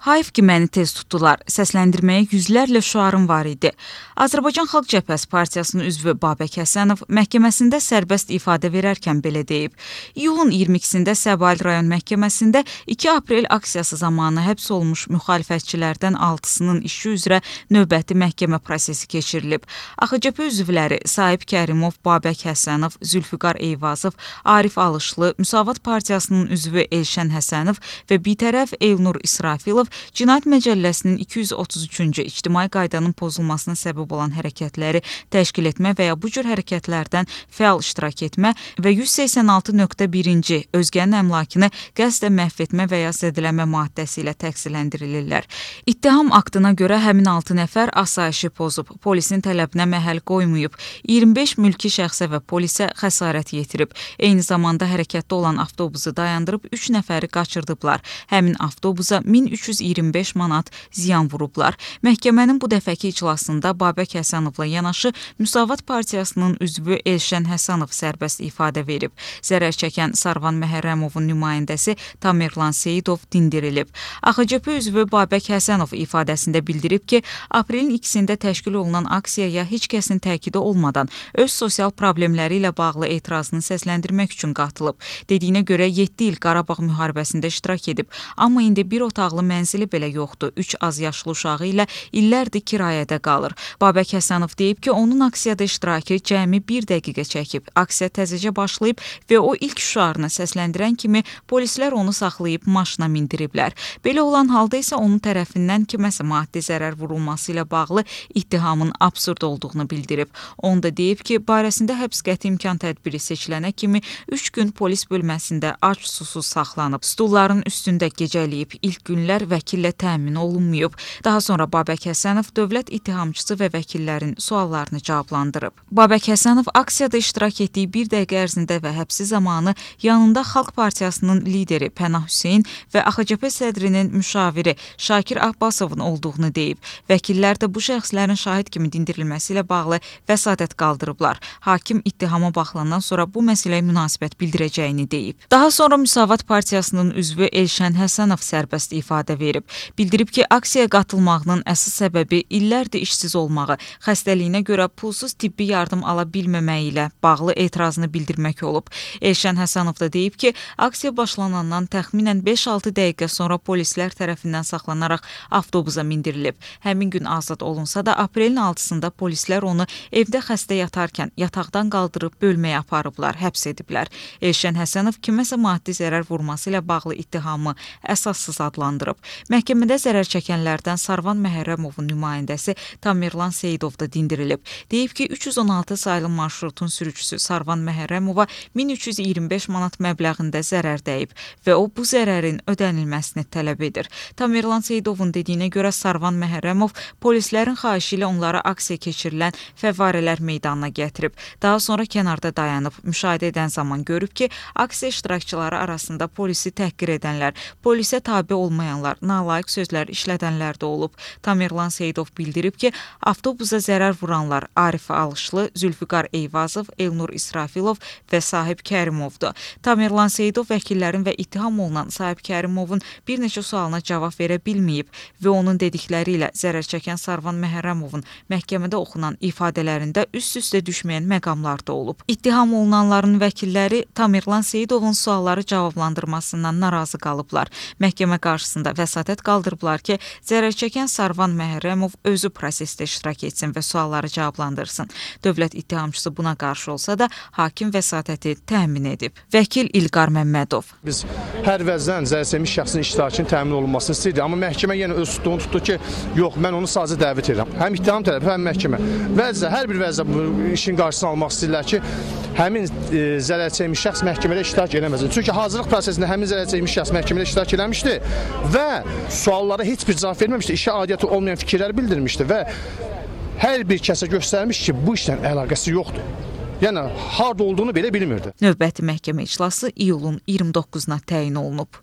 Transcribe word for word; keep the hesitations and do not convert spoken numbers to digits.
Hayf ki məni tez tutdular. Səsləndirməyə yüzlərlə şüarım var idi. Azərbaycan Xalq Cəbhəsi Partiyasının üzvü Babək Həsənov məhkəməsində sərbəst ifadə verərkən belə deyib. İyulun iyirmi ikisində Səbail rayon məhkəməsində iki aprel aksiyası zamanı həbs olmuş müxalifətçilərdən altısının işi üzrə növbəti məhkəmə prosesi keçirilib. A X C P üzvləri Sahib Kərimov, Babək Həsənov, Zülfüqar Eyvazov, Arif Alışlı, Müsavat Partiyasının üzvü Elşən Həsənov və bitərəf Elnur İsrafilov Cinayət Məcəlləsinin iki yüz otuz üçüncü ictimai qaydanın pozulmasına səbəb olan hərəkətləri təşkil etmə və ya bu cür hərəkətlərdən fəal iştirak etmə və yüz səksən altı nöqtə birinci özgənin əmlakını qəsdən məhv etmə və ya zədələmə maddəsi ilə təqsirləndirilirlər. İttiham aktına görə həmin altı nəfər asayişi pozub, polisin tələbinə məhəl qoymayıb, iyirmi beş mülki şəxsə və polisə xəsarət yetirib. Eyni zamanda hərəkətdə olan avtobusu dayandırıb üç nəfəri qaçırdıblar. Həmin avtobusa min üç yüz iyirmi beş manat ziyan vurublar. Məhkəmənin bu dəfəki iclasında Babək Həsənovla yanaşı Müsavat Partiyasının üzvü Elşən Həsənov sərbəst ifadə verib. Zərər çəkən Sarvan Məhərrəmovun nümayəndəsi Tamerlan Seyidov dindirilib. A X C P üzvü Babək Həsənov ifadəsində bildirib ki, aprelin ikisində təşkil olunan aksiyaya heç kəsin təkidi olmadan öz sosial problemləri ilə bağlı etirazını səsləndirmək üçün qatılıb. Dediyinə görə yeddi il Qarabağ müharibəsində iştirak edib, amma indi bir otaqlı mənzili belə yoxdur. üç az yaşlı uşağı ilə illərdir kirayədə qalır. Babək Həsənov deyib ki, onun aksiyada iştirakı cəmi bir dəqiqə çəkib. Aksiya təzəcə başlayıb və o ilk şüarını səsləndirən kimi polislər onu saxlayıb maşına mindiriblər. Belə olan halda isə onun tərəfindən kiməsə maddi zərər vurulması ilə bağlı ittihamın absurd olduğunu bildirib. Onu da deyib ki, barəsində həbs qəti imkan tədbiri seçilənə kimi üç gün polis bölməsində ac susuz saxlanıb. Stulların üstündə gecələyib, ilk günlər vəkillə təmin olunmayıb. Daha sonra Babək Həsənov dövlət ittihamçısı və vəkillərin suallarını cavablandırıb. Babək Həsənov aksiyada iştirak etdiyi bir dəqiqə ərzində və həbsi zamanı yanında Xalq Partiyasının lideri Pənah Hüseyn və A X C P sədrinin müşaviri Şakir Abbasovun olduğunu deyib. Vəkillər də bu şəxslərin şahid kimi dindirilməsi ilə bağlı vəsadət qaldırıblar. Hakim ittihama baxılandan sonra bu məsələyə münasibət bildirəcəyini deyib. Daha sonra Müsavat Partiyasının üzvü Elşən Həsənov sərbəst ifadə verib. Bildirib ki, aksiyaya qatılmağının əsas səbəbi illərdir işsiz olmağı, xəstəliyinə görə pulsuz tibbi yardım ala bilməməyi ilə bağlı etirazını bildirmək olub. Elşən Həsənov da deyib ki, aksiya başlanandan təxminən beş altı dəqiqə sonra polislər tərəfindən saxlanaraq avtobusa mindirilib. Həmin gün azad olunsa da aprelin altısında polislər onu evdə xəstə yatarkən yataqdan qaldırıb bölməyə aparıblar, həbs ediblər. Elşən Həsənov kiməsə maddi zərər vurması ilə bağlı ittihamı əsassız adlandırıb. Məhkəmədə zərər çəkənlərdən Sarvan Məhərrəmovun nümayəndəsi Tamerlan Seyidov da dindirilib. Deyib ki, üç yüz on altı saylı marşrutun sürücüsü Sarvan Məhərrəmova min üç yüz iyirmi beş manat məbləğində zərər dəyib və o bu zərərin ödənilməsini tələb edir. Tamerlan Seyidovun dediyinə görə Sarvan Məhərrəmov polislərin xahişi ilə onları aksiya keçirilən fəvvarələr meydanına gətirib. Daha sonra kənarda dayanıb, müşahidə edən zaman görüb ki, aksiya iştirakçıları arasında polisi təhqir edənlər, polisə tabe olmayanlar, nalayiq sözlər işlədənlər də olub. Tamerlan Seyidov bildirib ki, avtobusa zərər vuranlar Arif Alışlı, Zülfüqar Eyvazov, Elnur İsrafilov və Sahib Kərimovdur. Tamerlan Seyidov vəkillərin və ittiham olunan Sahib Kərimovun bir neçə sualına cavab verə bilməyib və onun dedikləri ilə zərər çəkən Sarvan Məhərrəmovun məhkəmədə oxunan ifadələrində üst-üstə düşməyən məqamlar da olub. İttiham olunanların vəkilləri Tamerlan Seyidovun sualları cavablandırmasından narazı qalıblar. Məhkəmə qarşısında vəsatət qaldırıblar ki, zərər çəkən Sarvan Məhərrəmov özü prosesdə iştirak etsin və sualları cavablandırsın. Dövlət ittihamçısı buna qarşı olsa da hakim vəsatəti təmin edib. Vəkil İlqar Məmmədov. Biz hər vəzdən zərərçəkmiş şəxsin iştirakının təmin olunmasını istəyirdik, amma məhkəmə yenə öz tutduğunu tutdu ki, yox, mən onu sadəcə dəvət edirəm. Həm ittiham tərəfi, həm məhkəmə. Vəzdə, hər bir vəzdə bu işin qarşısını almaq istəyirlər ki, həmin e, zərərçəkmiş şəxs məhkəmədə iştirak eləməsin. Çünki hazırlıq prosesində həmin zərərçəkmiş şəxs məhkəmədə iştirak eləmişdi və suallara heç bir cavab verməmişdi, işə aidiyyəti olmayan fikirlər bildirmişdi və hər bir kəsə göstərmiş ki, bu işlə əlaqəsi yoxdur. Yəni, harda olduğunu belə bilmirdi. Növbəti məhkəmə iclası iyulun iyirmi doqquzuna təyin olunub.